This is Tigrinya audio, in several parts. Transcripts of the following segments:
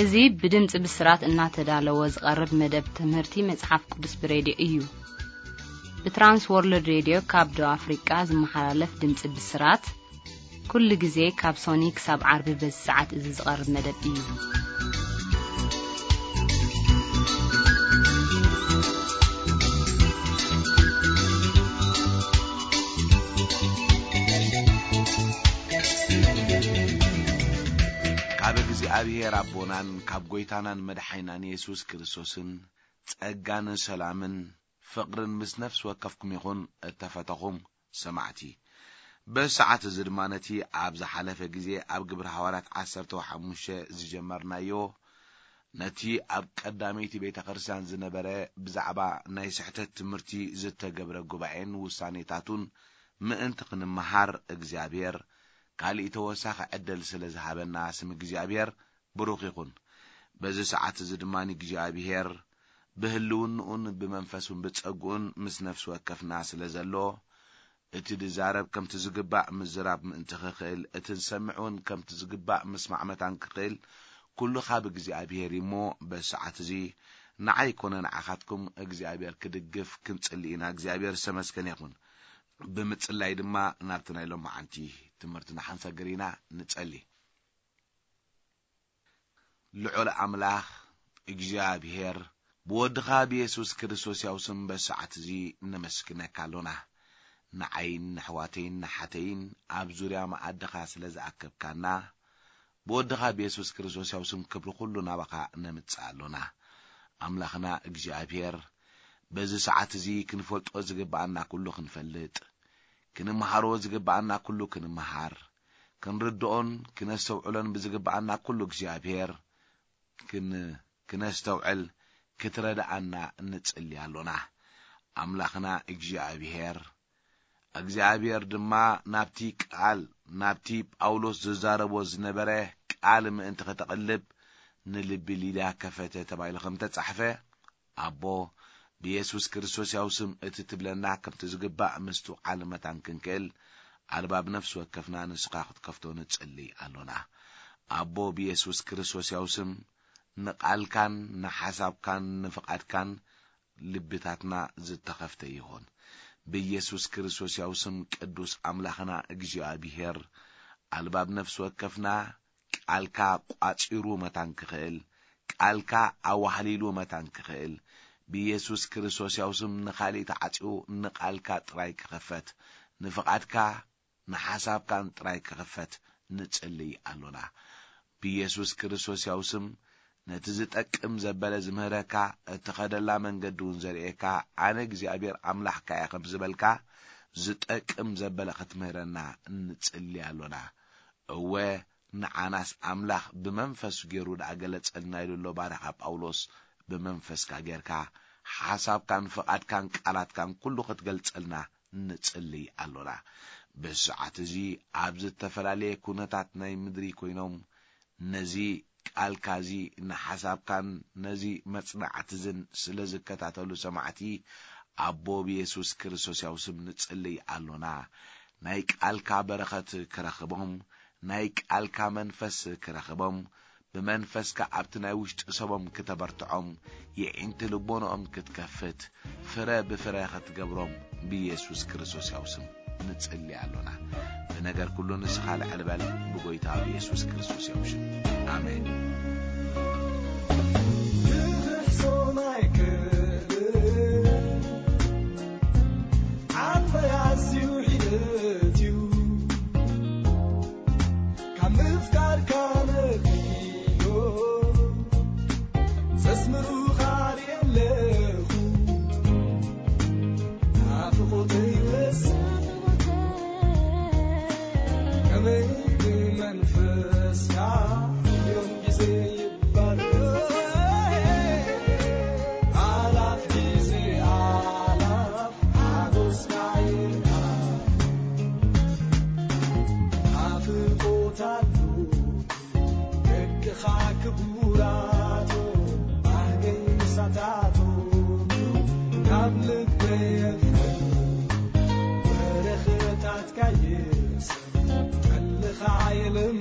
እዚ ብድምፂ ብስራት እናተዳለወ ዝቐርብ መደብ ትምህርቲ መጽሓፍ ቅዱስ ብሬድዮ እዩ። ብትራንስ ወርልድ ሬድዮ ካብ ደቡብ ኣፍሪቃ ዝመሓላለፍ ድምፂ ብስራት፣ ኩሉ ግዜ ካብ ሶኒ ክሳብ ዓርቢ በዚ ሰዓት እዚ ዝቐርብ መደብ እዩ። ካብ እግዚኣብሔር ኣቦናን ካብ ጐይታናን መድሓኒናን የሱስ ክርስቶስን ጸጋን ሰላምን ፍቕርን ምስ ነፍሲ ወከፍኩም ይኹን። እተፈተኹም ሰማዕቲ፣ በዚ ሰዓት እዚ ድማ ነቲ ኣብ ዝሓለፈ ግዜ ኣብ ግብሪ ሃዋርያት ዓሰርተ ሓሙሽተ ዝጀመርናዮ፣ ነቲ ኣብ ቀዳመይቲ ቤተ ክርስቲያን ዝነበረ ብዛዕባ ናይ ስሕተት ትምህርቲ ዝተገብረ ጉባኤን ውሳኔታቱን ምእንቲ ክንመሃር እግዚኣብሔር ካሊእ ተወሳኺ ዕድል ስለ ዝሃበና ስም እግዚኣብሔር ብሩኽ ይኹን። በዚ ሰዓት እዚ ድማ እግዚኣብሔር ብህልውንኡን ብመንፈሱን ብጸግኡን ምስ ነፍሲ ወከፍና ስለ ዘሎ፣ እቲ ድዛረብ ከምቲ ዝግባእ ምዝራብ ምእንቲ ክኽእል፣ እቲ ዝሰምዕ እውን ከምቲ ዝግባእ ምስማዕ መታን ክኽእል፣ ኩሉ ካብ እግዚኣብሔር እዩ እሞ፣ በዚ ሰዓት እዚ ንዓይ ኮነ ንዓኻትኩም እግዚኣብሔር ክድግፍ ክንጽሊ ኢና። እግዚኣብሔር ዝተመስገነ ይኹን። ብምጽላይ ድማ ናብቲ ናይ ሎማዓንቲ ትምህርትና ክንሰግር ኢና። ንጸሊ። ልዑል ኣምላኽ እግዚኣብሔር፣ ብወድኻ ብየሱስ ክርስቶስ ያው ስም በዚ ሰዓት እዚ ነመስግነካ ኣሎና። ንዓይን ንኣሕዋተይን ንሓተይን ኣብ ዙርያ መኣድኻ ስለ ዝኣከብካና፣ ብወድኻ ብየሱስ ክርስቶስ ያው ስም ክብሪ ኩሉ ናባኻ ነምጽእ ኣሎና። ኣምላኽና እግዚኣብሔር፣ በዚ ሰዓት እዚ ክንፈልጦ ዝግብኣና ኩሉ ክንፈልጥ፣ ክንምሃሮ ዝግብኣና ኩሉ ክንምሃር፣ ክንርድኦን ክነስተውዕሎን ብዝግብኣና ኩሉ እግዚኣብሔር ክን-፣ ክነስተውዕል ክትረድኣና ንጽሊ ኣሎና። ኣምላኽና እግዚኣብሔር፣ እግዚኣብሔር ድማ ናብቲ ቃል፣ ናብቲ ጳውሎስ ዝዛረቦ ዝነበረ ቃል ምእንቲ ከተቕልብ ንልቢ ሊድያ ከፈተ ተባሂሉ ከም ተጻሕፈ፣ ኣቦ፣ ብየሱስ ክርስቶስ ያው ስም እቲ ትብለና ከምቲ ዝግባእ ምስትውዓል መታን ክንክእል፣ ኣልባብ ነፍሲ ወከፍና ንስኻ ክትከፍቶ ንጽሊ ኣሎና። ኣቦ፣ ብየሱስ ክርስቶስ ያው ስም ንቓልካን ንሓሳብካን ንፍቓድካን ልብታትና ዝተኸፍተ ይኹን። ብየሱስ ክርስቶስ ያው ስም ቅዱስ ኣምላኽና እግዚኣብሔር፣ ኣልባብ ነፍሲ ወከፍና ቃልካ ቋጺሩ መታን ክኽእል፣ ቃልካ ኣዋህሊሉ መታን ክኽእል፣ ብየሱስ ክርስቶስ ያው ስም ንኻሊእ ተዓጺኡ ንቃልካ ጥራይ ክኽፈት፣ ንፍቓድካ ንሓሳብካን ጥራይ ክኽፈት ንጽልይ ኣሎና። ብየሱስ ክርስቶስ ያው ስም ነቲ ዝጠቅም ዘበለ ዝምህረካ፣ እትኸደላ መንገዲ እውን ዘርእየካ፣ ኣነ እግዚኣብሔር ኣምላኽካ እየ ከም ዝበልካ፣ ዝጠቅም ዘበለ ክትምህረና ንጽሊ ኣሎና። እወ፣ ንዓናስ ኣምላኽ ብመንፈሱ ገይሩ ደኣ ገለጸልና ኢሉ ኣሎ ባርያኻ ጳውሎስ። ብመንፈስካ ጌርካ ሓሳብካን ፍቓድካን ቃላትካን ኩሉ ክትገልጸልና ንጽልይ ኣሎና። ብሰዓት እዚ ኣብ ዝተፈላለየ ኩነታት ናይ ምድሪ ኮይኖም ነዚ ቃልካ እዚ ንሓሳብካን ነዚ መጽናዕቲ እዝን ስለ ዝከታተሉ ሰማዕቲ ኣቦ ብየሱስ ክርስቶስ ያው ስም ንጽልይ ኣሎና። ናይ ቃልካ በረኸት ክረኽቦም፣ ናይ ቃልካ መንፈስ ክረኽቦም፣ ብመንፈስካ ኣብቲ ናይ ውሽጢ ሰቦም ክተበርትዖም፣ የዒንቲ ልቦንኦም ክትከፍት፣ ፍረ ብፍረ ክትገብሮም ብየሱስ ክርስቶስ ያው ስም ንጽሊ ኣሎና። ብነገር ኩሉ ንስኻ ልዕል በል፣ ብጎይታ ብየሱስ ክርስቶስ ያው ሽም። ኣሜን። ክሕሶ ናይ ክብር ዓቕሊ ኣዝዩ ሒደት እዩ። ካብ ምፍቃርካ ነኺሎ ዘስምሩኻ ርእየ ኣለኹ። ናፍቖተይ በዝሕ ከመይ ብመንፈስካ እዮም ግዜ ይባረኽ። ኣላፍ ግዜ ኣላፍ ሓጎስካ ይርኣ። ናፍቖት ኣሎ ደቅኻ ክቡራቶ ባህገይ ምሳታቶ ካብ ልበይ የፍር በረኸታትካ የሰ ከልኻ የለም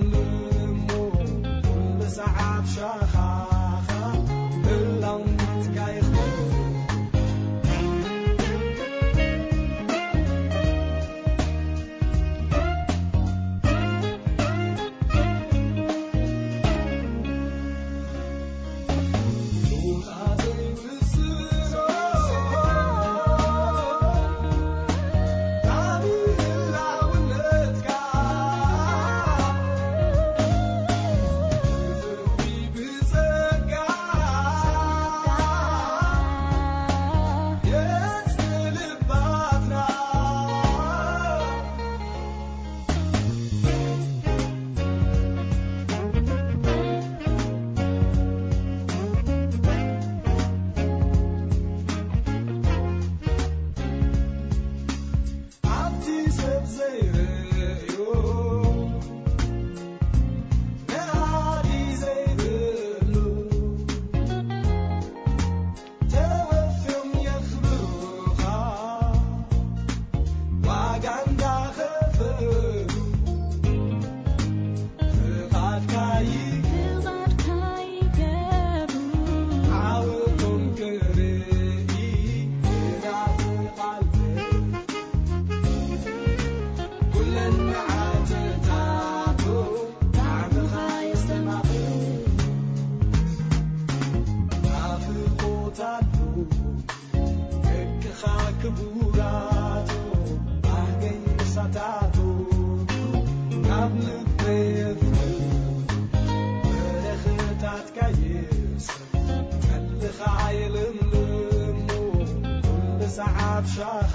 ኣብ ሻኻኻ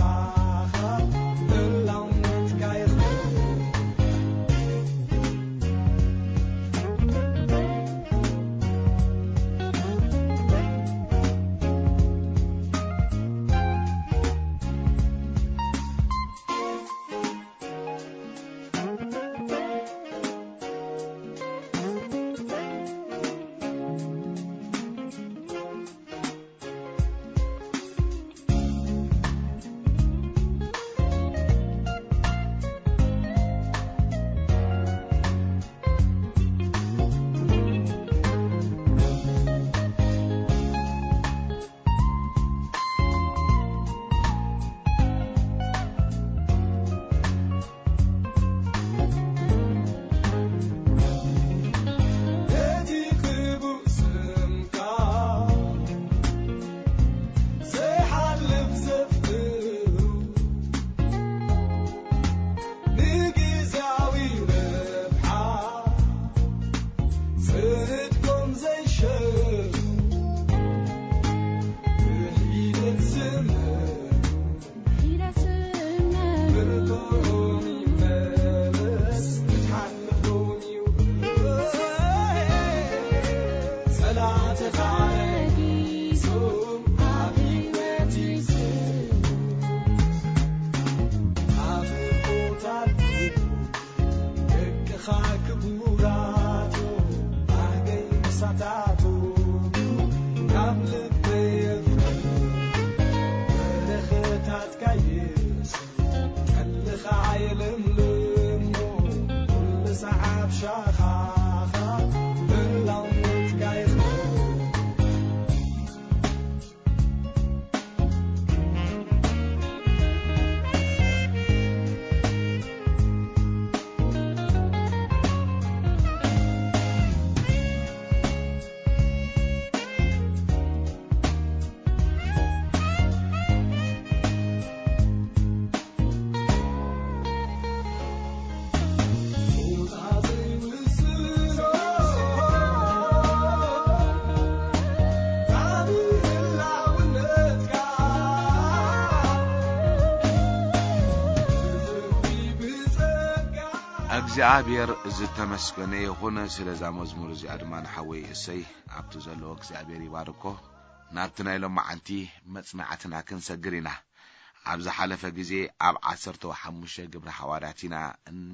ህላውነትካ ይኽበር። በቲ ክቡር ስምካ ዘይሓልፍ ዘፍቅሩ፣ ንግዝያዊ ረብሓ ጽድቆም ዘይሸጡ፣ ብሒደት ዝመሩ፣ ብርትዖም ይመለስ፣ ክትሓልፎም እዩ። ጸላእትኻ ነጊሶም ኣብ ህይወት ይስኡ። ኣፍቆታቱ ደቅኻ ክቡራቱ፣ ኣገይ ምሳታቱ ካብ ልበይ የፍቅር። በረኸታትካ የብዝሕ፣ ጠልኻ የለምልሞ፣ ኩሉ ሰዓብ ሻኻኻ፣ ህላውነትካ ይኽበር። እግዚኣብሔር ዝተመስገነ ይኹን። ስለዛ መዝሙር እዚኣ ድማ ንሓወይ እሰይ ኣብቲ ዘለዎ እግዚኣብሔር ይባርኮ። ናብቲ ናይ ሎማዓንቲ መጽናዕትና ክንሰግር ኢና። ኣብ ዝሓለፈ ግዜ ኣብ ዓሰርተ ሓሙሽተ ግብሪ ሃዋርያት ኢና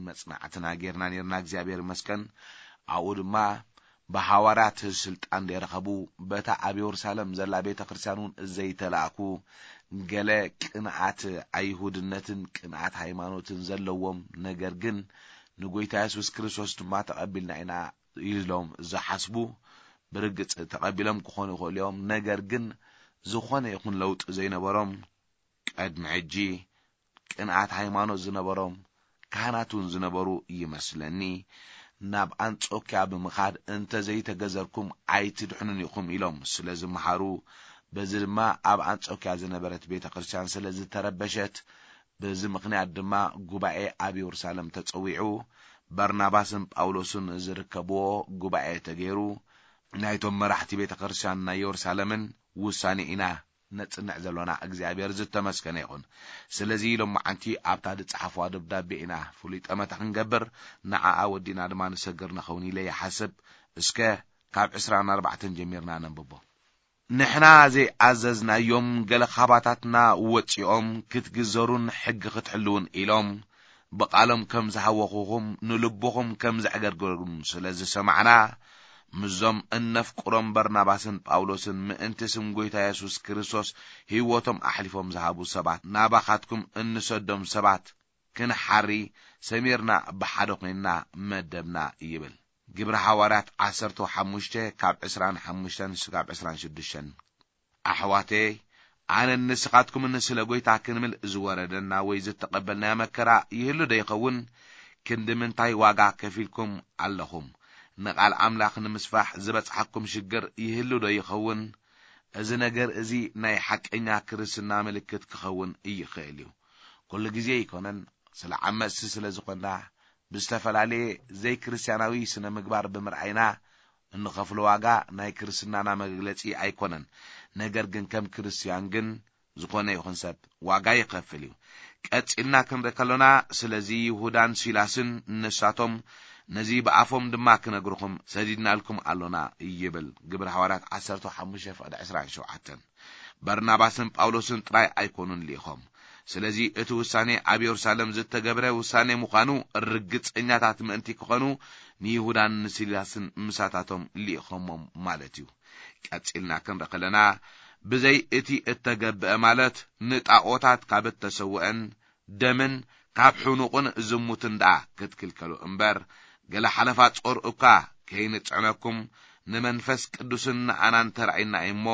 መጽናዕትና ጌርና ኔርና፣ እግዚኣብሔር ይመስገን። ኣብኡ ድማ ብሃዋርያት ስልጣን ዘይረኸቡ፣ በታ ኣብ የሩሳሌም ዘላ ቤተ ክርስቲያን እውን ዘይተላእኩ፣ ገለ ቅንኣት ኣይሁድነትን ቅንኣት ሃይማኖትን ዘለዎም፣ ነገር ግን ንጎይታ የሱስ ክርስቶስ ድማ ተቐቢልና ኢና ኢሎም ዝሓስቡ፣ ብርግጽ ተቐቢሎም ክኾኑ ይኽእሉ እዮም። ነገር ግን ዝኾነ ይኹን ለውጢ ዘይነበሮም፣ ቅድሚ ሕጂ ቅንኣት ሃይማኖት ዝነበሮም ካህናት እውን ዝነበሩ ይመስለኒ፣ ናብ ኣንጾክያ ብምኻድ፣ "እንተ ዘይተገዘርኩም ኣይትድሕኑን ኢኹም" ኢሎም ስለ ዝመሃሩ፣ በዚ ድማ ኣብ ኣንጾክያ ዝነበረት ቤተ ክርስቲያን ስለ ዝተረበሸት፣ በዚ ምኽንያት ድማ ጉባኤ ኣብ የሩሳሌም ተጸዊዑ፣ በርናባስን ጳውሎስን ዝርከብዎ ጉባኤ ተገይሩ፣ ናይቶም መራሕቲ ቤተ ክርስቲያን ናይ የሩሳሌምን ውሳኔ ኢና ነጽንዕ ዘሎና። እግዚኣብሔር ዝተመስገነ ይኹን። ስለዚ ሎማዓንቲ ኣብታ ዝጸሓፍዋ ደብዳቤ ኢና ፍሉይ ጠመተ ክንገብር፣ ንዓኣ ወዲና ድማ ንሰግር ንኸውን ኢለ ይሓስብ። እስከ ካብ ዕስራን ኣርባዕተን ጀሚርና ነንብቦ። ንሕና ዘይኣዘዝናዮም ገለ ካባታትና ወጺኦም ክትግዘሩን ሕጊ ክትሕልውን ኢሎም ብቓሎም ከም ዝሃወኹኹም ንልብኹም ከም ዘዕገርገሩን ስለ ዝሰማዕና፣ ምስዞም እነፍቅሮም በርናባስን ጳውሎስን ምእንቲ ስም ጐይታ የሱስ ክርስቶስ ህይወቶም ኣሕሊፎም ዝሃቡ ሰባት ናባኻትኩም እንሰዶም ሰባት ክንሓሪ ሰሚርና ብሓደ ኾይንና መደብና ይብል። ግብሪ ሃዋርያት ዓሰርተ ሓሙሽተ ካብ ዕስራን ሓሙሽተን እስካብ ዕስራን ሽዱሽተን። ኣሕዋተይ፣ ኣነን ንስኻትኩምን ስለ ጐይታ ክንብል ዝወረደና ወይ ዝተቐበልናዮ መከራ ይህሉ ዶ ይኸውን? ክንዲ ምንታይ ዋጋ ከፊልኩም ኣለኹም? ንቓል ኣምላኽ ንምስፋሕ ዝበጽሓኩም ሽግር ይህሉ ዶ ይኸውን? እዚ ነገር እዚ ናይ ሓቀኛ ክርስትና ምልክት ክኸውን ይኽእል እዩ። ኩሉ ግዜ ኣይኮነን፣ ስለ ዓመጽቲ ስለ ዝኾንና፣ ብዝተፈላለየ ዘይክርስትያናዊ ስነ ምግባር ብምርኣይና እንኸፍሎ ዋጋ ናይ ክርስትናና መግለጺ ኣይኮነን። ነገር ግን ከም ክርስትያን ግን ዝኾነ ይኹን ሰብ ዋጋ ይኸፍል እዩ። ቀጺልና ክንርኢ ከሎና፣ ስለዚ ይሁዳን ሲላስን ንሳቶም፣ ነዚ ብኣፎም ድማ ክነግርኹም ሰዲድናልኩም ኣሎና ይብል። ግብሪ ሃዋርያት ዓሰርተ ሓሙሽተ ፍቕዲ ዕስራን ሸውዓተን። በርናባስን ጳውሎስን ጥራይ ኣይኮኑን ልኢኾም። ስለዚ እቲ ውሳኔ ኣብ የሩሳሌም ዝተገብረ ውሳኔ ምዃኑ ርግጸኛታት ምእንቲ ክኾኑ፣ ንይሁዳን ንሲላስን ምሳታቶም ልኢኾሞም ማለት እዩ። ቀጺልና ክንርኢ ከለና፣ ብዘይ እቲ እተገብአ ማለት ንጣኦታት ካብ እተሰውአን ደምን ካብ ሕኑቕን ዝሙትን ደኣ ክትክልከሉ እምበር፣ ገለ ሓለፋ ጾር እኳ ከይንጽዕነኩም፣ ንመንፈስ ቅዱስን ንኣናን ተራእዩና እዩ እሞ፣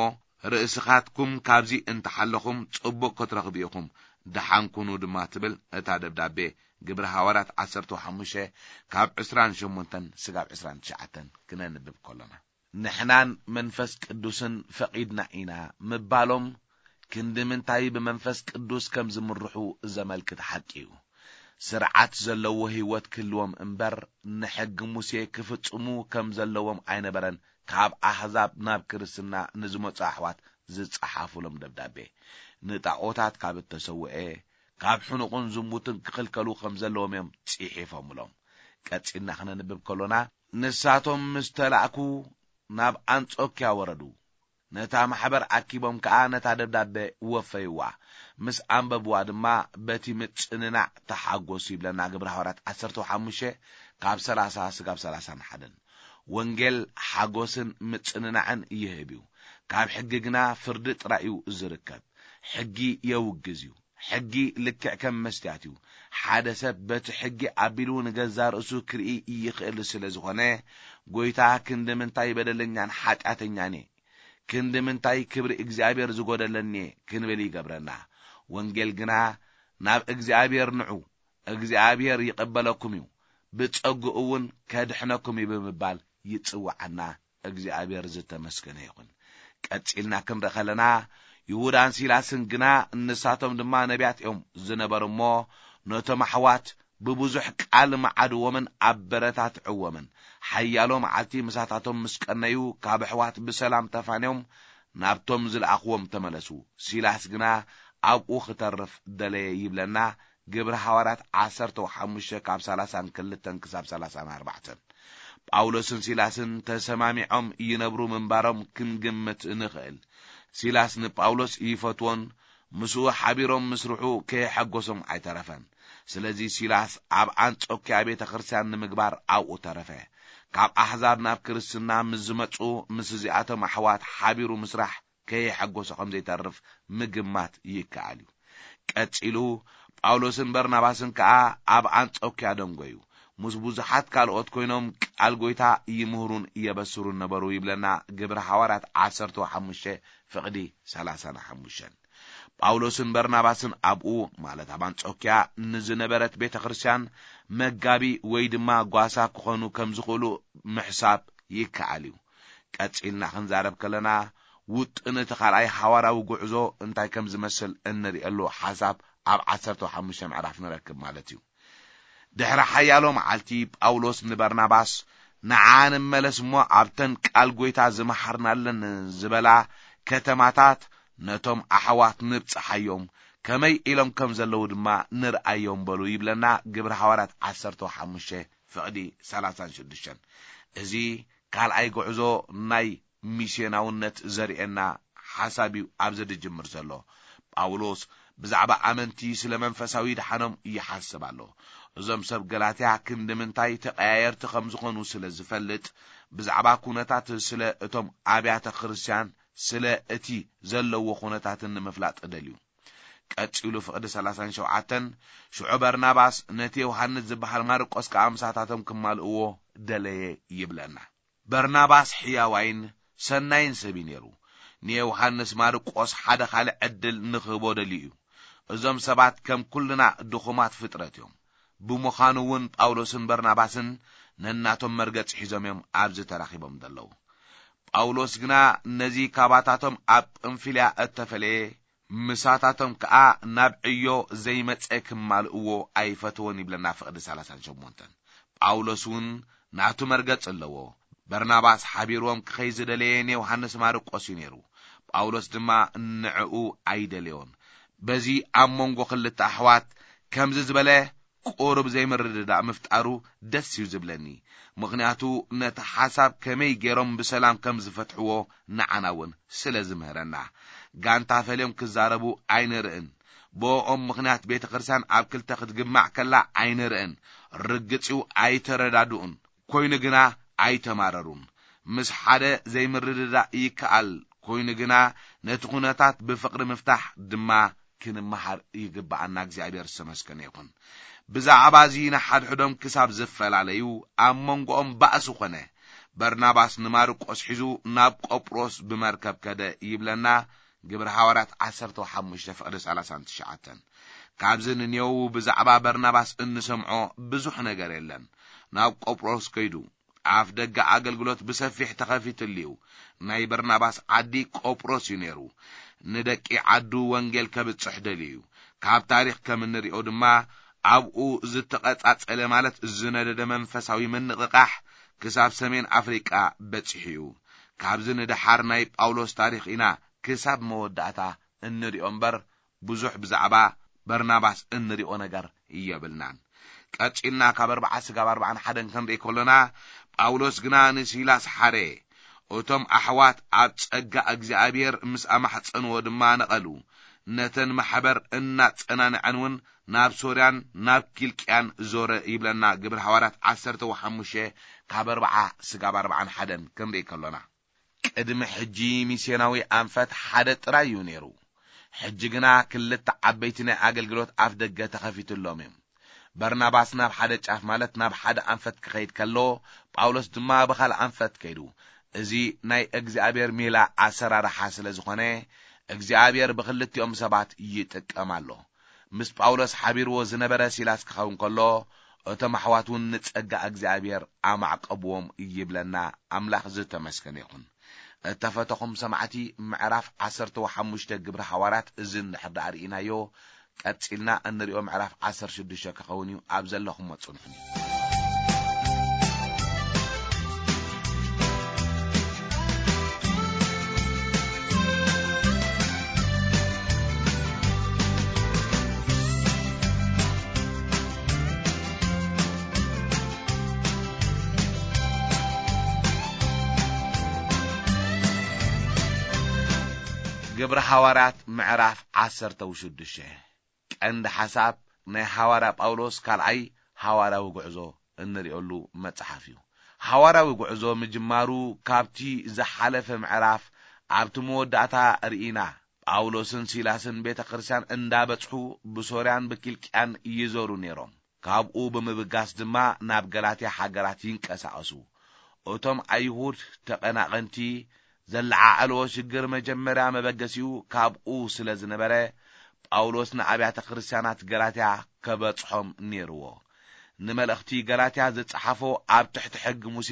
ርእስኻትኩም ካብዚ እንተሓለኹም ጽቡቕ ክትረኽቡ ኢኹም፣ ደሓን ኩኑ ድማ ትብል እታ ደብዳቤ ግብሪ ሃዋርያት ዓሰርተ ሓሙሽተ ካብ ዕስራን ሸሞንተን ስጋብ ዕስራን ትሽዓተን ክነንብብ ከሎና። ንሕናን መንፈስ ቅዱስን ፈቒድና ኢና ምባሎም፣ ክንዲ ምንታይ ብመንፈስ ቅዱስ ከም ዝምርሑ ዘመልክት ሓቂ እዩ። ስርዓት ዘለዎ ህይወት ክህልዎም እምበር፣ ንሕጊ ሙሴ ክፍጽሙ ከም ዘለዎም ኣይነበረን ካብ ኣህዛብ ናብ ክርስትና ንዝመጹ ኣሕዋት ዝጸሓፉሎም ደብዳቤ። ንጣኦታት ካብ እተሰውኤ፣ ካብ ሕኑቕን ዝሙትን ክኽልከሉ ከም ዘለዎም እዮም ጽሒፎምሎም። ቀጺልና ክነንብብ ከሎና፣ ንሳቶም ምስ ተላእኩ ናብ ኣንጾክያ ወረዱ። ነታ ማሕበር ኣኪቦም ከኣ ነታ ደብዳቤ ወፈይዋ። ምስ ኣንበብዋ ድማ በቲ ምጽንናዕ ተሓጎሱ ይብለና ግብረ ሃዋርያት ዓሰርተ ሓሙሽተ ካብ ሰላሳ ስጋብ ሰላሳን ሓደን። ወንጌል ሓጎስን ምጽንናዕን ይህብ እዩ። ካብ ሕጊ ግና ፍርዲ ጥራይ እዩ ዝርከብ። ሕጊ የውግዝ እዩ። ሕጊ ልክዕ ከም መስትያት እዩ። ሓደ ሰብ በቲ ሕጊ ኣቢሉ ንገዛ ርእሱ ክርኢ ይኽእል ስለ ዝኾነ፣ ጎይታ ክንዲ ምንታይ በደለኛን ሓጢኣተኛን እየ፣ ክንዲ ምንታይ ክብሪ እግዚኣብሔር ዝጎደለኒ እየ ክንብል ይገብረና። ወንጌል ግና ናብ እግዚኣብሔር ንዑ፣ እግዚኣብሔር ይቕበለኩም እዩ፣ ብጸግኡ እውን ከድሕነኩም እዩ ብምባል ይጽውዓና። እግዚኣብሔር ዝተመስገነ ይኹን። ቀጺልና ክንርኢ ከለና፣ ይሁዳን ሲላስን ግና ንሳቶም ድማ ነቢያት እዮም ዝነበሩ እሞ፣ ነቶም ኣሕዋት ብብዙሕ ቃል መዓድዎምን ኣበረታትዕዎምን። ሓያሎ መዓልቲ ምሳታቶም ምስ ቀነዩ፣ ካብ ኣሕዋት ብሰላም ተፋንዮም ናብቶም ዝለኣኽዎም ተመለሱ። ሲላስ ግና ኣብኡ ክተርፍ ደለየ ይብለና። ግብሪ ሃዋርያት ዓሰርተ ሓሙሽተ ካብ ሰላሳን ክልተን ክሳብ ሰላሳን ኣርባዕተን። ጳውሎስን ሲላስን ተሰማሚዖም ይነብሩ ምንባሮም ክንግምት ንኽእል። ሲላስ ንጳውሎስ ይፈትዎን ምስኡ ሓቢሮም ምስርሑ ከየሐጎሶም ኣይተረፈን። ስለዚ ሲላስ ኣብ ኣንጾክያ ቤተ ክርስቲያን ንምግባር ኣብኡ ተረፈ። ካብ ኣሕዛብ ናብ ክርስትና ምስ ዝመጹ ምስ እዚኣቶም ኣሕዋት ሓቢሩ ምስራሕ ከየሐጎሶ ከም ዘይተርፍ ምግማት ይከኣል እዩ። ቀጺሉ ጳውሎስን በርናባስን ከኣ ኣብ ኣንጾክያ ደንጎዩ። ምስ ብዙሓት ካልኦት ኮይኖም ቃል ጐይታ ይምህሩን የበስሩን ነበሩ ይብለና ግብሪ ሃዋርያት ዓሰርተ ሓሙሽተ ፍቕዲ ሰላሳን ሓሙሽተን። ጳውሎስን በርናባስን ኣብኡ፣ ማለት ኣብ ኣንጾክያ ንዝነበረት ቤተ ክርስቲያን መጋቢ ወይ ድማ ጓሳ ክኾኑ ከም ዝኽእሉ ምሕሳብ ይከኣል እዩ። ቀጺልና ክንዛረብ ከለና፣ ውጥን እቲ ካልኣይ ሓዋርያዊ ጉዕዞ እንታይ ከም ዝመስል እንርእየሉ ሓሳብ ኣብ ዓሰርተ ሓሙሽተ ምዕራፍ ንረክብ ማለት እዩ። ድሕሪ ሓያሎ መዓልቲ ጳውሎስ ንበርናባስ፣ "ንዓ ንመለስ እሞ ኣብተን ቃል ጐይታ ዝመሓርናለን ዝበላ ከተማታት ነቶም ኣሕዋት ንብጽሓዮም፣ ከመይ ኢሎም ከም ዘለዉ ድማ ንርኣዮም" በሉ ይብለና ግብሪ ሃዋርያት ዓሰርተ ሓሙሽተ ፍቕዲ ሰላሳን ሽዱሽተን። እዚ ካልኣይ ጉዕዞ ናይ ሚስዮናውነት ዘርእየና ሓሳብ እዩ ኣብዚ ዝጅምር ዘሎ። ጳውሎስ ብዛዕባ ኣመንቲ ስለ መንፈሳዊ ድሓኖም ይሓስብ ኣሎ። እዞም ሰብ ገላትያ ክንዲ ምንታይ ተቐያየርቲ ከም ዝኾኑ ስለ ዝፈልጥ፣ ብዛዕባ ኩነታት ስለ እቶም ኣብያተ ክርስቲያን ስለ እቲ ዘለዎ ኩነታትን ንምፍላጥ ደልዩ። ቀጺሉ ፍቕዲ ሰላሳን ሸውዓተን፣ ሽዑ በርናባስ ነቲ ዮሃንስ ዝበሃል ማርቆስ ከኣ ምሳታቶም ክማልእዎ ደለየ ይብለና። በርናባስ ሕያዋይን ሰናይን ሰብ እዩ ነይሩ። ንዮሃንስ ማርቆስ ሓደ ካልእ ዕድል ንኽህቦ ደልዩ እዩ። እዞም ሰባት ከም ኩልና ድኹማት ፍጥረት እዮም። ብምዃኑ እውን ጳውሎስን በርናባስን ነናቶም መርገጽ ሒዞም እዮም ኣብዚ ተራኺቦም ዘለዉ። ጳውሎስ ግና ነዚ ካባታቶም ኣብ ጳምፊልያ እተፈለየ፣ ምሳታቶም ከኣ ናብ ዕዮ ዘይመጸ ክማልእዎ ኣይፈተወን ይብለና ፍቕዲ ሰላሳን ሸሞንተን። ጳውሎስ እውን ናቱ መርገጽ ኣለዎ። በርናባስ ሓቢርዎም ክኸይ ዝደለየ ንዮሃንስ ማርቆስ እዩ ነይሩ። ጳውሎስ ድማ ንዕኡ ኣይደለዮን። በዚ ኣብ መንጎ ክልተ ኣሕዋት ከምዚ ዝበለ ቁሩብ ዘይምርድዳእ ምፍጣሩ ደስ እዩ ዝብለኒ። ምኽንያቱ ነቲ ሓሳብ ከመይ ገይሮም ብሰላም ከም ዝፈትሕዎ ንዓና እውን ስለ ዝምህረና። ጋንታ ፈልዮም ክዛረቡ ኣይንርእን። ብኦም ምኽንያት ቤተ ክርስቲያን ኣብ ክልተ ክትግማዕ ከላ ኣይንርእን። ርግጽ እዩ ኣይተረዳድኡን። ኮይኑ ግና ኣይተማረሩን። ምስ ሓደ ዘይምርድዳእ ይከኣል። ኮይኑ ግና ነቲ ኩነታት ብፍቕሪ ምፍታሕ ድማ ክንመሃር ይግብኣና። እግዚኣብሔር ዝተመስገነ ይኹን። ብዛዕባ እዚ ንሓድሕዶም ክሳብ ዝፈላለዩ ኣብ መንጎኦም ባእሲ ኾነ። በርናባስ ንማርቆስ ሒዙ ናብ ቆጵሮስ ብመርከብ ከደ ይብለና። ግብሪ ሃዋርያት ዓሰርተ ሓሙሽተ ፍቕዲ ሰላሳን ትሽዓተን። ካብዚ ንኔው ብዛዕባ በርናባስ እንሰምዖ ብዙሕ ነገር የለን። ናብ ቆጵሮስ ከይዱ ኣፍ ደገ ኣገልግሎት ብሰፊሕ ተኸፊትሉ እዩ። ናይ በርናባስ ዓዲ ቆጵሮስ እዩ ነይሩ። ንደቂ ዓዱ ወንጌል ከብጽሕ ደልዩ እዩ። ካብ ታሪኽ ከም እንሪኦ ድማ ኣብኡ ዝተቐጻጸለ ማለት ዝነደደ መንፈሳዊ ምንቕቓሕ ክሳብ ሰሜን ኣፍሪቃ በጺሑ እዩ። ካብዚ ንደሓር ናይ ጳውሎስ ታሪኽ ኢና ክሳብ መወዳእታ እንሪኦ እምበር ብዙሕ ብዛዕባ በርናባስ እንሪኦ ነገር የብልናን። ቀጺልና ካብ ኣርብዓ ስጋብ ኣርብዓን ሓደን ክንርኢ ከሎና፣ ጳውሎስ ግና ንሲላስ ሓረየ። እቶም ኣሕዋት ኣብ ጸጋ እግዚኣብሔር ምስ ኣማሕጸንዎ ድማ ነቐሉ። ነተን ማሕበር እናጸናንዐን እውን ናብ ሶርያን ናብ ኪልቅያን ዞረ ይብለና ግብሪ ሃዋርያት ዓሰርተ ሓሙሽተ ካብ ኣርብዓ ስጋብ ኣርብዓን ሓደን ክንርኢ ከሎና። ቅድሚ ሕጂ ሚስዮናዊ ኣንፈት ሓደ ጥራይ እዩ ነይሩ። ሕጂ ግና ክልተ ዓበይቲ ናይ ኣገልግሎት ኣፍ ደገ ተኸፊትሎም እዮም። በርናባስ ናብ ሓደ ጫፍ ማለት ናብ ሓደ ኣንፈት ክኸይድ ከሎ፣ ጳውሎስ ድማ ብኻልእ ኣንፈት ከይዱ። እዚ ናይ እግዚኣብሔር ሜላ ኣሰራርሓ ስለ ዝኾነ፣ እግዚኣብሔር ብኽልቲኦም ሰባት ይጥቀም ኣሎ። ምስ ጳውሎስ ሓቢርዎ ዝነበረ ሲላስ ክኸውን ከሎ፣ እቶም ኣሕዋት እውን ንጸጋ እግዚኣብሔር ኣማዕቀብዎም ይብለና። ኣምላኽ ዝተመስገነ ይኹን። እተፈተኹም ሰማዕቲ፣ ምዕራፍ ዓሰርተ ሓሙሽተ ግብሪ ሃዋርያት እዚ እንድሕር ደኣ ርኢናዮ፣ ቀጺልና እንሪኦ ምዕራፍ ዓሰርተ ሽዱሽተ ክኸውን እዩ። ኣብ ዘለኹሞ ጽንሑኒ። ግብሪ ሃዋርያት ምዕራፍ ዓሰርተ ሽዱሽተ። ቀንዲ ሓሳብ ናይ ሃዋርያ ጳውሎስ ካልኣይ ሃዋርያዊ ጉዕዞ እንርእየሉ መጽሓፍ እዩ። ሃዋርያዊ ጉዕዞ ምጅማሩ ካብቲ ዝሓለፈ ምዕራፍ ኣብቲ መወዳእታ ርኢና። ጳውሎስን ሲላስን ቤተ ክርስቲያን እንዳበጽሑ ብሶርያን ብኪልቅያን ይዞሩ ነይሮም። ካብኡ ብምብጋስ ድማ ናብ ገላትያ ሃገራት ይንቀሳቐሱ። እቶም ኣይሁድ ተቐናቐንቲ ዘለዓዕልዎ ሽግር መጀመርያ መበገሲኡ ካብኡ ስለ ዝነበረ፣ ጳውሎስ ንኣብያተ ክርስቲያናት ገላትያ ከበጽሖም ነይርዎ። ንመልእኽቲ ገላትያ ዝጸሓፎ ኣብ ትሕቲ ሕጊ ሙሴ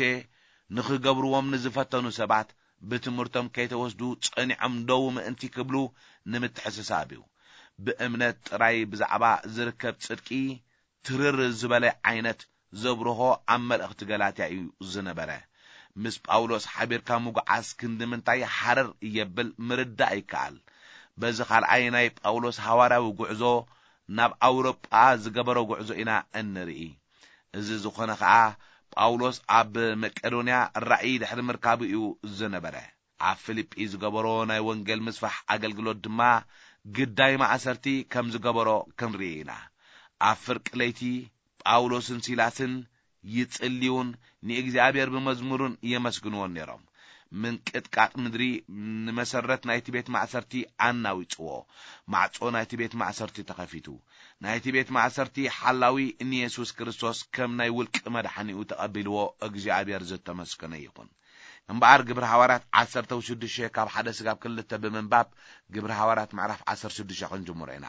ንኽገብርዎም ንዝፈተኑ ሰባት ብትምህርቶም ከይተወስዱ ጸኒዖም ደው ምእንቲ ክብሉ ንምትሕስሳብ እዩ። ብእምነት ጥራይ ብዛዕባ ዝርከብ ጽድቂ ትርር ዝበለ ዓይነት ዘብርሆ ኣብ መልእኽቲ ገላትያ እዩ ዝነበረ። ምስ ጳውሎስ ሓቢርካ ምጉዓዝ ክንዲ ምንታይ ሓረር የብል ምርዳእ ይከኣል። በዚ ካልኣይ ናይ ጳውሎስ ሃዋርያዊ ጉዕዞ ናብ ኣውሮጳ ዝገበሮ ጉዕዞ ኢና እንርኢ። እዚ ዝኾነ ኸኣ ጳውሎስ ኣብ መቄዶንያ ራእይ ድሕሪ ምርካቡ እዩ ዝነበረ። ኣብ ፊልጲ ዝገበሮ ናይ ወንጌል ምስፋሕ ኣገልግሎት ድማ ግዳይ ማእሰርቲ ከም ዝገበሮ ክንርኢ ኢና። ኣብ ፍርቂ ለይቲ ጳውሎስን ሲላስን ይጽልዩን ንእግዚኣብሔር ብመዝሙርን የመስግንዎን ነይሮም። ምንቅጥቃጥ ምድሪ ንመሰረት ናይቲ ቤት ማእሰርቲ ኣናዊጽዎ። ማዕጾ ናይቲ ቤት ማእሰርቲ ተኸፊቱ። ናይቲ ቤት ማእሰርቲ ሓላዊ ንየሱስ ክርስቶስ ከም ናይ ውልቂ መድሓኒኡ ተቐቢልዎ እግዚኣብሔር ዝተመስገነ ይኹን። እምበኣር ግብሪ ሃዋርያት ዓሰርተ ሽዱሽተ ካብ ሓደ ስጋብ ክልተ ብምንባብ ግብሪ ሃዋርያት ምዕራፍ ዓሰርተ ሽዱሽተ ክንጅምሮ ኢና።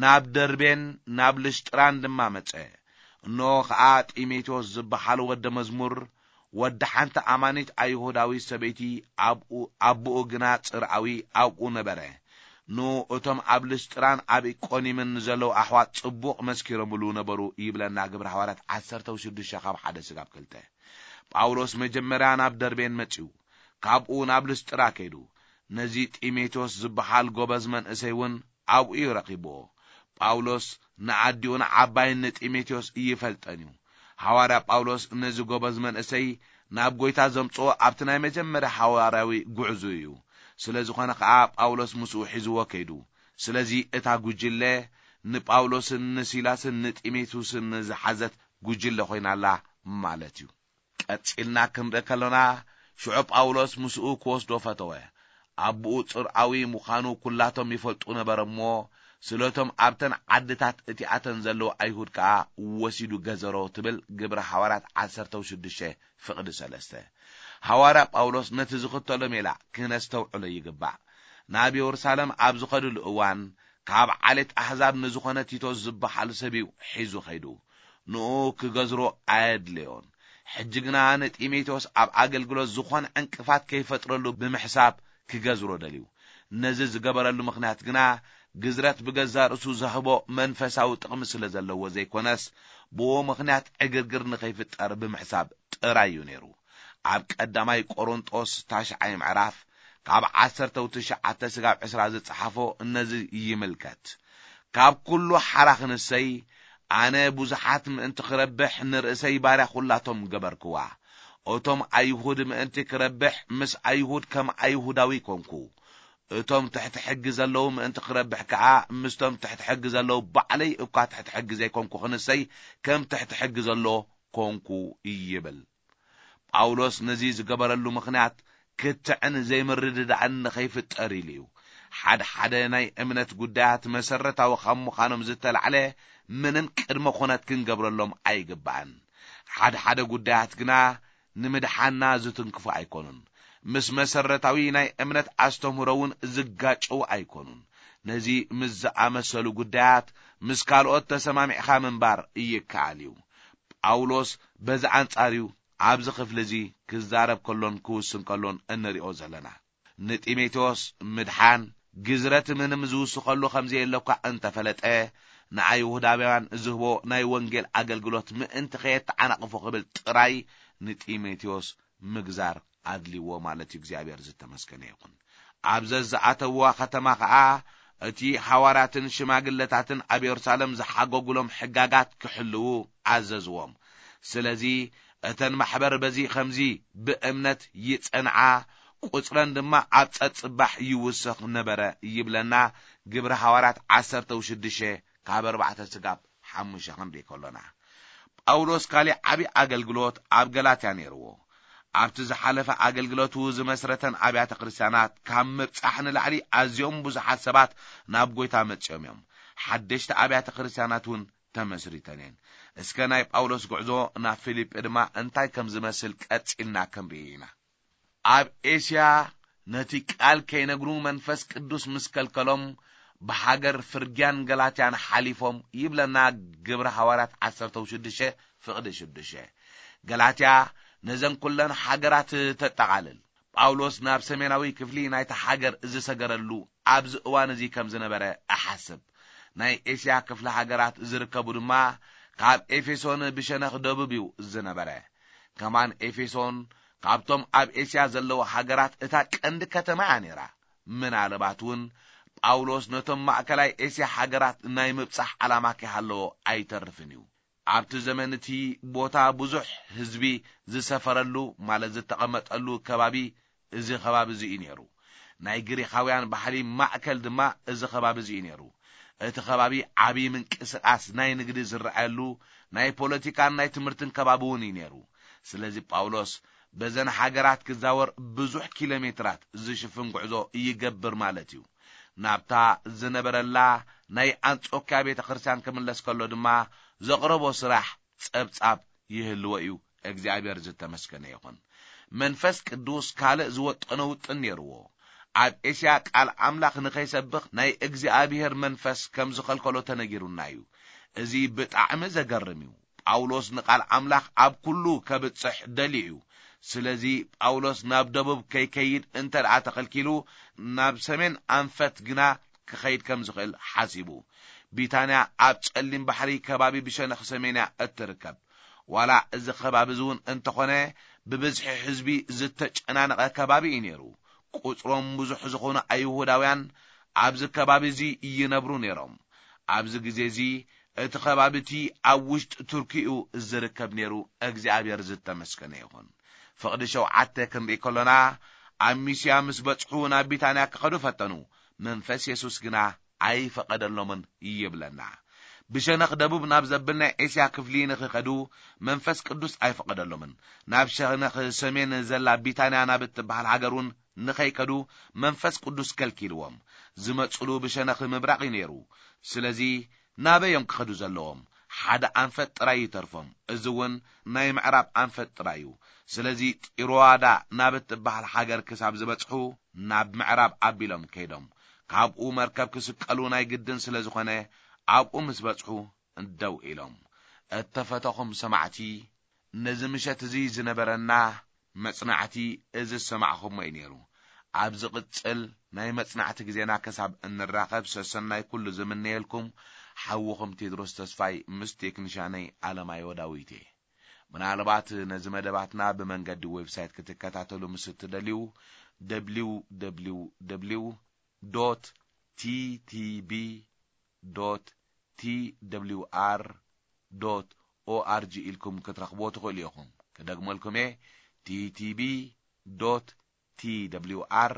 ናብ ደርቤን ናብ ልሽጥራን ድማ መጸ። እንሆ ኸኣ ጢሞቴዎስ ዝበሃል ወደ መዝሙር ወዲ ሓንቲ ኣማኒት ኣይሁዳዊት ሰበይቲ ኣብኡ፣ ኣቦኡ ግና ጽርኣዊ ኣብኡ ነበረ። ንኡ እቶም ኣብ ልስጥራን ኣብ ኢቆኒምን ንዘለዉ ኣሕዋት ጽቡቕ መስኪሮምሉ ነበሩ ይብለና ግብሪ ሃዋርያት ዓሰርተ ሽዱሽተ ካብ ሓደ ስጋብ ክልተ። ጳውሎስ መጀመርያ ናብ ደርቤን መጺኡ፣ ካብኡ ናብ ልስጥራ ከይዱ፣ ነዚ ጢሞቴዎስ ዝበሃል ጎበዝ መንእሰይ እውን ኣብኡ እዩ ረኺብዎ። ጳውሎስ ንኣዲኡን ዓባይን ንጢሞቴዎስ ይፈልጠን እዩ። ሃዋርያ ጳውሎስ ነዚ ጎበዝ መንእሰይ ናብ ጐይታ ዘምጽኦ ኣብቲ ናይ መጀመርያ ሃዋርያዊ ጉዕዙ እዩ። ስለ ዝኾነ ኸኣ ጳውሎስ ምስኡ ሒዝዎ ከይዱ። ስለዚ እታ ጉጅለ ንጳውሎስን ንሲላስን ንጢሞቴዎስን ዝሓዘት ጉጅለ ኮይና ኣላ ማለት እዩ። ቀጺልና ክንርኢ ከሎና፣ ሽዑ ጳውሎስ ምስኡ ክወስዶ ፈተወ። ኣቦኡ ጽርኣዊ ምዃኑ ኩላቶም ይፈልጡ ነበረ እሞ፣ ስለቶም ኣብተን ዓድታት እቲኣተን ዘለዉ ኣይሁድ ከኣ ወሲዱ ገዘሮ ትብል ግብረ ሃዋርያት ዓሰርተ ሽዱሽተ ፍቕዲ ሰለስተ። ሃዋርያ ጳውሎስ ነቲ ዝኽተሎ ሜላ ክነስተውዕሎ ይግባእ። ናብ የሩሳሌም ኣብ ዝኸድሉ እዋን፣ ካብ ዓሌት ኣህዛብ ንዝኾነ ቲቶስ ዝበሃል ሰብ እዩ ሒዙ ኸይዱ። ንኡ ክገዝሮ ኣየድለዮን። ሕጂ ግና ንጢሞቴዎስ ኣብ ኣገልግሎት ዝኾነ ዕንቅፋት ከይፈጥረሉ ብምሕሳብ ክገዝሮ ደልዩ። ነዚ ዝገበረሉ ምኽንያት ግና ግዝረት ብገዛ ርእሱ ዘህቦ መንፈሳዊ ጥቕሚ ስለ ዘለዎ ዘይኮነስ፣ ብኡ ምኽንያት ዕግርግር ንኸይፍጠር ብምሕሳብ ጥራይ እዩ ነይሩ። ኣብ ቀዳማይ ቆሮንጦስ ታሽዓይ ምዕራፍ ካብ ዓሰርተ ትሽዓተ ስጋብ ዕስራ ዝጸሓፎ ነዚ ይምልከት። ካብ ኩሉ ሓራ ክንሰይ፣ ኣነ ብዙሓት ምእንቲ ክረብሕ ንርእሰይ ባርያ ኩላቶም ገበርክዋ። እቶም ኣይሁድ ምእንቲ ክረብሕ ምስ ኣይሁድ ከም ኣይሁዳዊ ኮንኩ። እቶም ትሕቲ ሕጊ ዘለዉ ምእንቲ ክረብሕ ከኣ ምስቶም ትሕቲ ሕጊ ዘለዉ ባዕለይ እኳ ትሕቲ ሕጊ ዘይኮንኩ ክንሰይ ከም ትሕቲ ሕጊ ዘሎ ኮንኩ ይብል። ጳውሎስ ነዚ ዝገበረሉ ምኽንያት ክትዕን ዘይምርድዳእን ንኸይፍጠር ኢሉ እዩ። ሓደ ሓደ ናይ እምነት ጉዳያት መሰረታዊ ካብ ምዃኖም ዝተላዕለ ምንም ቅድመ ኩነት ክንገብረሎም ኣይግባእን። ሓደ ሓደ ጉዳያት ግና ንምድሓና ዝትንክፉ ኣይኮኑን። ምስ መሰረታዊ ናይ እምነት ኣስተምህሮ እውን ዝጋጨዉ ኣይኮኑን። ነዚ ምስ ዝኣመሰሉ ጉዳያት ምስ ካልኦት ተሰማሚዕኻ ምንባር ይከኣል እዩ። ጳውሎስ በዚ ኣንጻር እዩ ኣብዚ ክፍሊ እዚ ክዛረብ ከሎን ክውስን ከሎን እንሪኦ ዘለና። ንጢሞቴዎስ ምድሓን ግዝረት ምንም ዝውስኸሉ ከም ዘየለ እኳ እንተፈለጠ፣ ንኣይሁዳውያን ዝህቦ ናይ ወንጌል ኣገልግሎት ምእንቲ ከየተዓናቕፎ ክብል ጥራይ ንጢሞቴዎስ ምግዛር ኣድልዎ ማለት እዩ። እግዚኣብሔር ዝተመስገነ ይኹን። ኣብ ዘዝኣተውዋ ከተማ ኸኣ እቲ ሓዋርያትን ሽማግለታትን ኣብ የሩሳሌም ዝሓገጉሎም ሕጋጋት ክሕልዉ ኣዘዝዎም። ስለዚ እተን ማሕበር በዚ ኸምዚ ብእምነት ይጸንዓ፣ ቁጽረን ድማ ኣብ ጸጽባሕ ይውሰኽ ነበረ ይብለና ግብሪ ሃዋርያት ዓሰርተ ሽዱሽተ ካብ ኣርባዕተ ስጋብ ሓሙሽተ ክንርኢ ከሎና። ጳውሎስ ካሊእ ዓቢ ኣገልግሎት ኣብ ገላትያ ነይርዎ። ኣብቲ ዝሓለፈ ኣገልግሎቱ ዝመስረተን ኣብያተ ክርስቲያናት ካብ ምብጻሕ ንላዕሊ ኣዝዮም ብዙሓት ሰባት ናብ ጐይታ መጺኦም እዮም። ሓደሽቲ ኣብያተ ክርስቲያናት እውን ተመስሪተን እየን። እስከ ናይ ጳውሎስ ጉዕዞ ናብ ፊልጲ ድማ እንታይ ከም ዝመስል ቀጺልና ክንርኢ ኢና። ኣብ ኤስያ ነቲ ቃል ከይነግሩ መንፈስ ቅዱስ ምስ ከልከሎም ብሃገር ፍርግያን ገላትያን ሓሊፎም ይብለና ግብሪ ሃዋርያት ዓሰርተ ሽዱሽተ ፍቕዲ ሽዱሽተ። ገላትያ ነዘን ኩለን ሃገራት ተጠቓልል። ጳውሎስ ናብ ሰሜናዊ ክፍሊ ናይታ ሃገር ዝሰገረሉ ኣብዚ እዋን እዚ ከም ዝነበረ እሓስብ። ናይ ኤስያ ክፍሊ ሃገራት ዝርከቡ ድማ ካብ ኤፌሶን ብሸነኽ ደቡብ እዩ ዝነበረ። ከማን ኤፌሶን ካብቶም ኣብ ኤስያ ዘለዉ ሃገራት እታ ቀንዲ ከተማ እያ ነይራ። ምናልባት እውን ጳውሎስ ነቶም ማእከላይ ኤስያ ሃገራት ናይ ምብጻሕ ዓላማ ከይሃለዎ ኣይተርፍን እዩ። ኣብቲ ዘመን እቲ ቦታ ብዙሕ ህዝቢ ዝሰፈረሉ ማለት ዝተቐመጠሉ ከባቢ እዚ ከባቢ እዚ እዩ ነይሩ። ናይ ግሪኻውያን ባህሊ ማእከል ድማ እዚ ከባቢ እዚ እዩ ነይሩ። እቲ ከባቢ ዓቢ ምንቅስቓስ ናይ ንግዲ ዝረኣየሉ ናይ ፖለቲካን ናይ ትምህርትን ከባቢ እውን እዩ ነይሩ። ስለዚ ጳውሎስ በዘን ሃገራት ክዛወር ብዙሕ ኪሎ ሜትራት ዝሽፍን ጉዕዞ ይገብር ማለት እዩ። ናብታ ዝነበረላ ናይ ኣንጾክያ ቤተ ክርስቲያን ክምለስ ከሎ ድማ ዘቕረቦ ስራሕ ጸብጻብ ይህልዎ እዩ። እግዚኣብሔር ዝተመስገነ ይኹን። መንፈስ ቅዱስ ካልእ ዝወጠኖ ውጥን ነይርዎ። ኣብ ኤስያ ቃል ኣምላኽ ንኸይሰብኽ ናይ እግዚኣብሔር መንፈስ ከም ዝኸልከሎ ተነጊሩና እዩ። እዚ ብጣዕሚ ዘገርም እዩ። ጳውሎስ ንቃል ኣምላኽ ኣብ ኩሉ ከብጽሕ ደልዩ እዩ። ስለዚ ጳውሎስ ናብ ደቡብ ከይከይድ እንተ ደኣ ተኸልኪሉ፣ ናብ ሰሜን ኣንፈት ግና ክኸይድ ከም ዝኽእል ሓሲቡ። ቢታንያ ኣብ ጸሊም ባሕሪ ከባቢ ብሸነኽ ሰሜንያ እትርከብ። ዋላ እዚ ከባቢ እዚ እውን እንተኾነ ብብዝሒ ህዝቢ ዝተጨናነቐ ከባቢ እዩ ነይሩ። ቁጽሮም ብዙሕ ዝኾኑ ኣይሁዳውያን ኣብዚ ከባቢ እዚ ይነብሩ ነይሮም። ኣብዚ ግዜ እዚ እቲ ከባቢ እቲ ኣብ ውሽጢ ቱርኪ እዩ ዝርከብ ነይሩ። እግዚኣብሔር ዝተመስገነ ይኹን። ፍቕዲ ሸውዓተ ክንርኢ ከሎና፣ ኣብ ሚስያ ምስ በጽሑ ናብ ቢታንያ ክኸዱ ፈተኑ። መንፈስ የሱስ ግና ኣይፈቐደሎምን ይብለና። ብሸነኽ ደቡብ ናብ ዘብል ናይ ኤስያ ክፍሊ ንኽኸዱ መንፈስ ቅዱስ ኣይፈቐደሎምን። ናብ ሸነኽ ሰሜን ዘላ ቢታንያ ናብ እትበሃል ሃገር እውን ንኸይከዱ መንፈስ ቅዱስ ከልኪልዎም። ዝመጽሉ ብሸነኽ ምብራቕ እዩ ነይሩ። ስለዚ ናበይ እዮም ክኸዱ ዘለዎም? ሓደ ኣንፈት ጥራይ ይተርፎም። እዚ እውን ናይ ምዕራብ ኣንፈት ጥራይ እዩ። ስለዚ ጢሮዋዳ ናብ እትበሃል ሃገር ክሳብ ዝበጽሑ ናብ ምዕራብ ኣቢሎም ከይዶም። ካብኡ መርከብ ክስቀሉ ናይ ግድን ስለ ዝኾነ ኣብኡ ምስ በጽሑ ደው ኢሎም። እተፈተኹም ሰማዕቲ፣ ነዚ ምሸት እዚ ዝነበረና መጽናዕቲ እዚ ዝሰማዕኹሞ እዩ ነይሩ። ኣብ ዝቕጽል ናይ መጽናዕቲ ግዜና ክሳብ እንራኸብ ሰሰናይ ኩሉ ዝምነየልኩም ሓውኹም ቴድሮስ ተስፋይ ምስ ቴክኒሻነይ ኣለማዮ ዳዊት እየ። ምናልባት ነዚ መደባትና ብመንገዲ ዌብሳይት ክትከታተሉ ምስ እትደልዩ፣ ደብሊው ደብሊው ደብሊው ዶት ቲ ቲ ቢ ዶት ቲ ደብሊው ኣር ዶት ኦ ኣር ጂ ኢልኩም ክትረኽብዎ ትኽእሉ ኢኹም። ክደግመልኩም እየ፣ ቲ ቲ ቢ ዶት ቲ ደብሊው ኣር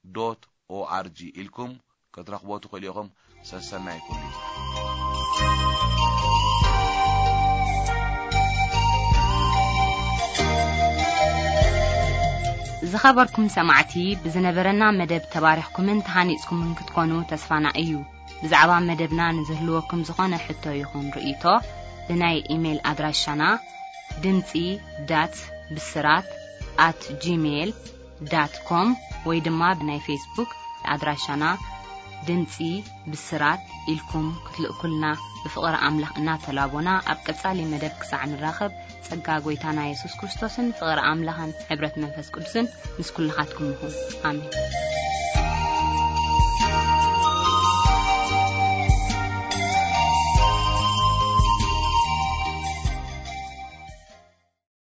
ዶት ኦ ኣር ጂ ኢልኩም ክትረኽብዎ ትኽእሉ ኢኹም። ሰሰናይ ኩሉ ይኹን። ዝኸበርኩም ሰማዕቲ፣ ብዝነበረና መደብ ተባሪኽኩምን ተሃኒጽኩምን ክትኮኑ ተስፋና እዩ። ብዛዕባ መደብና ንዝህልወኩም ዝኾነ ሕቶ ይኹን ርእይቶ፣ ብናይ ኢሜይል ኣድራሻና ድምጺ ዳት ብስራት ኣት ጂሜይል ዳት ኮም ወይ ድማ ብናይ ፌስቡክ ኣድራሻና ድምጺ ብስራት ኢልኩም ክትልእኩልና ብፍቕሪ ኣምላኽ እናተላቦና፣ ኣብ ቀጻሊ መደብ ክሳዕ ንራኸብ፣ ጸጋ ጐይታና የሱስ ክርስቶስን ፍቕሪ ኣምላኽን ሕብረት መንፈስ ቅዱስን ምስ ኩልኻትኩም ይኹን። ኣሜን።